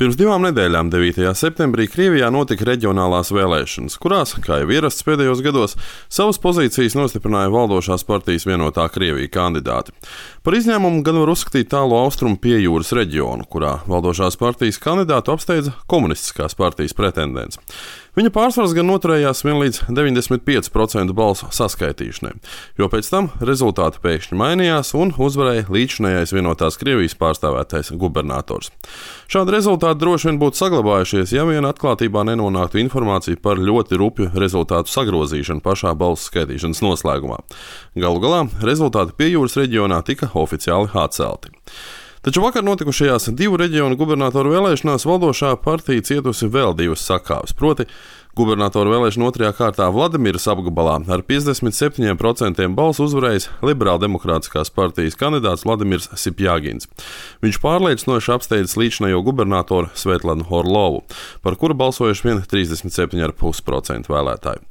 Pirms 2 nedēļām, 9. septembrī, Krievijā notika reģionālās vēlēšanas, kurās, kā jau ierasts pēdējos gados, savas pozīcijas nostiprināja valdošās partijas Vienotā Krievija kandidāti. Par izņēmumu gan var uzskatīt tālo austrumu piejūras reģionu, kurā valdošās partijas kandidātu apsteidza komunistiskās partijas pretendents. Viņa pārsvars gan noturējās vien līdz 95% balsu saskaitīšanai, jo pēc tam rezultāti pēkšņi mainījās un uzvarēja līdzinājais Vienotās Krievijas pārstāvētais gubernators. Šādi rezultāti droši vien būtu saglabājušies, ja vien atklātībā nenonāktu informācija par ļoti rupju rezultātu sagrozīšanu pašā balsu skaitīšanas noslēgumā. Galu galā rezultāti piejūras reģionā tika oficiāli atcelti. Taču vakar notikušajās 2 reģionu gubernatoru vēlēšanās valdošā partija cietusi vēl 2 sakāves, proti gubernatoru vēlēšanu 2. kārtā Vladimiras apgabalā ar 57% balsu uzvarējis Liberāldemokrātiskās partijas kandidāts Vladimirs Sipjagins. Viņš pārliecinoši apsteidzis līdzinējo gubernatoru Svetlanu Orlovu, par kuru balsojuši vien 37,5% vēlētāju.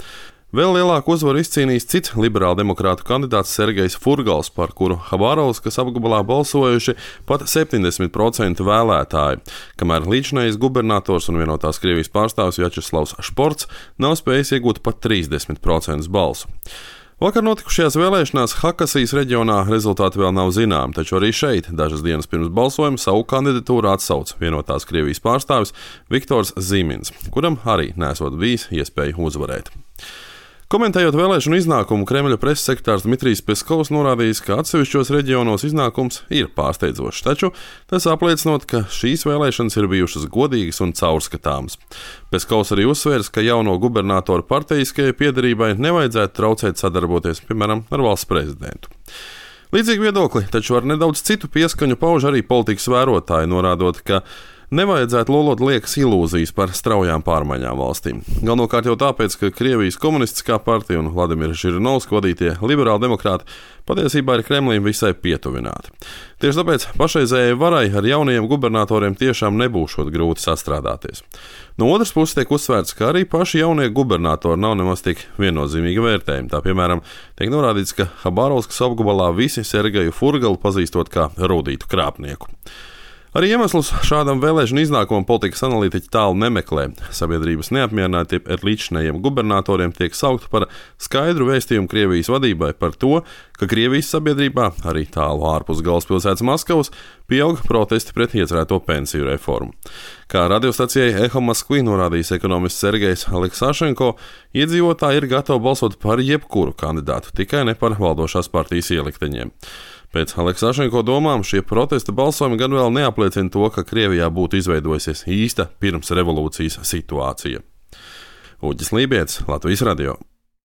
Vēl lielāku uzvaru izcīnījis cits liberāldemokrātu kandidāts Sergejs Furgals, par kuru Habarovskas apgabalā balsojuši pat 70% vēlētāji, kamēr līdzinājais gubernators un Vienotās Krievijas pārstāvis Vjačeslavs Šports nav spējis iegūt pat 30% balsu. Vakar notikušajās vēlēšanās Hakasijas reģionā rezultāti vēl nav zināmi, taču arī šeit dažas dienas pirms balsojuma savu kandidatūru atsauca Vienotās Krievijas pārstāvis Viktors Zīmins, kuram arī nesot bijis iespēja uzvarēt. Komentējot vēlēšanu iznākumu, Kremļa preses sekretārs Dmitrijs Peskovs norādījis, ka atsevišķos reģionos iznākums ir pārsteidzošs, taču tas apliecinot, ka šīs vēlēšanas ir bijušas godīgas un caurskatāmas. Peskovs arī uzsvērs, ka jauno gubernatoru partijiskajai piederībai nevajadzētu traucēt sadarboties, piemēram, ar valsts prezidentu. Līdzīgi viedokli, taču ar nedaudz citu pieskaņu pauž arī politikas vērotāji, norādot, ka nevajadzētu lolot liekas ilūzijas par straujām pārmaiņām valstīm. Galvenokārt jau tāpēc, ka Krievijas komunistiskā partija un Vladimira Žirinovska vadītie liberāldemokrāti patiesībā ir Kremlim visai pietuvināti. Tieši tāpēc pašreizējai varai ar jaunajiem gubernatoriem tiešām nebūšot grūti sastrādāties. No otras puses tiek uzsvērts, ka arī paši jaunie gubernatori nav nemaz tik viennozīmīgi vērtējumi. Tā piemēram, tiek norādīts, ka Habarovskas apgabalā visi Sergeju Furgalu pazīstot kā rūdītu krāpnieku. Arī iemeslus šādam vēlēšanu iznākumam politikas analītiķi tālu nemeklē. Sabiedrības neapmierinātība ar līdzinējiem gubernatoriem tiek saukta par skaidru vēstījumu Krievijas vadībai par to, ka Krievijas sabiedrībā, arī tālu ārpus galvaspilsētas Maskavas, pieaug protesti pret iecerēto pensiju reformu. Kā radiostacijai Eho Moskvi norādījis ekonomists Sergejs Aleksašenko, iedzīvotāji ir gatavi balsot par jebkuru kandidātu, tikai ne par valdošās partijas ielikteņiem. Pēc Aleksašenko domām šie protesta balsojumi gan vēl neapliecina to, ka Krievijā būtu izveidojusies īsta pirms revolūcijas situācija. Uģis Lībietis, Latvijas radio.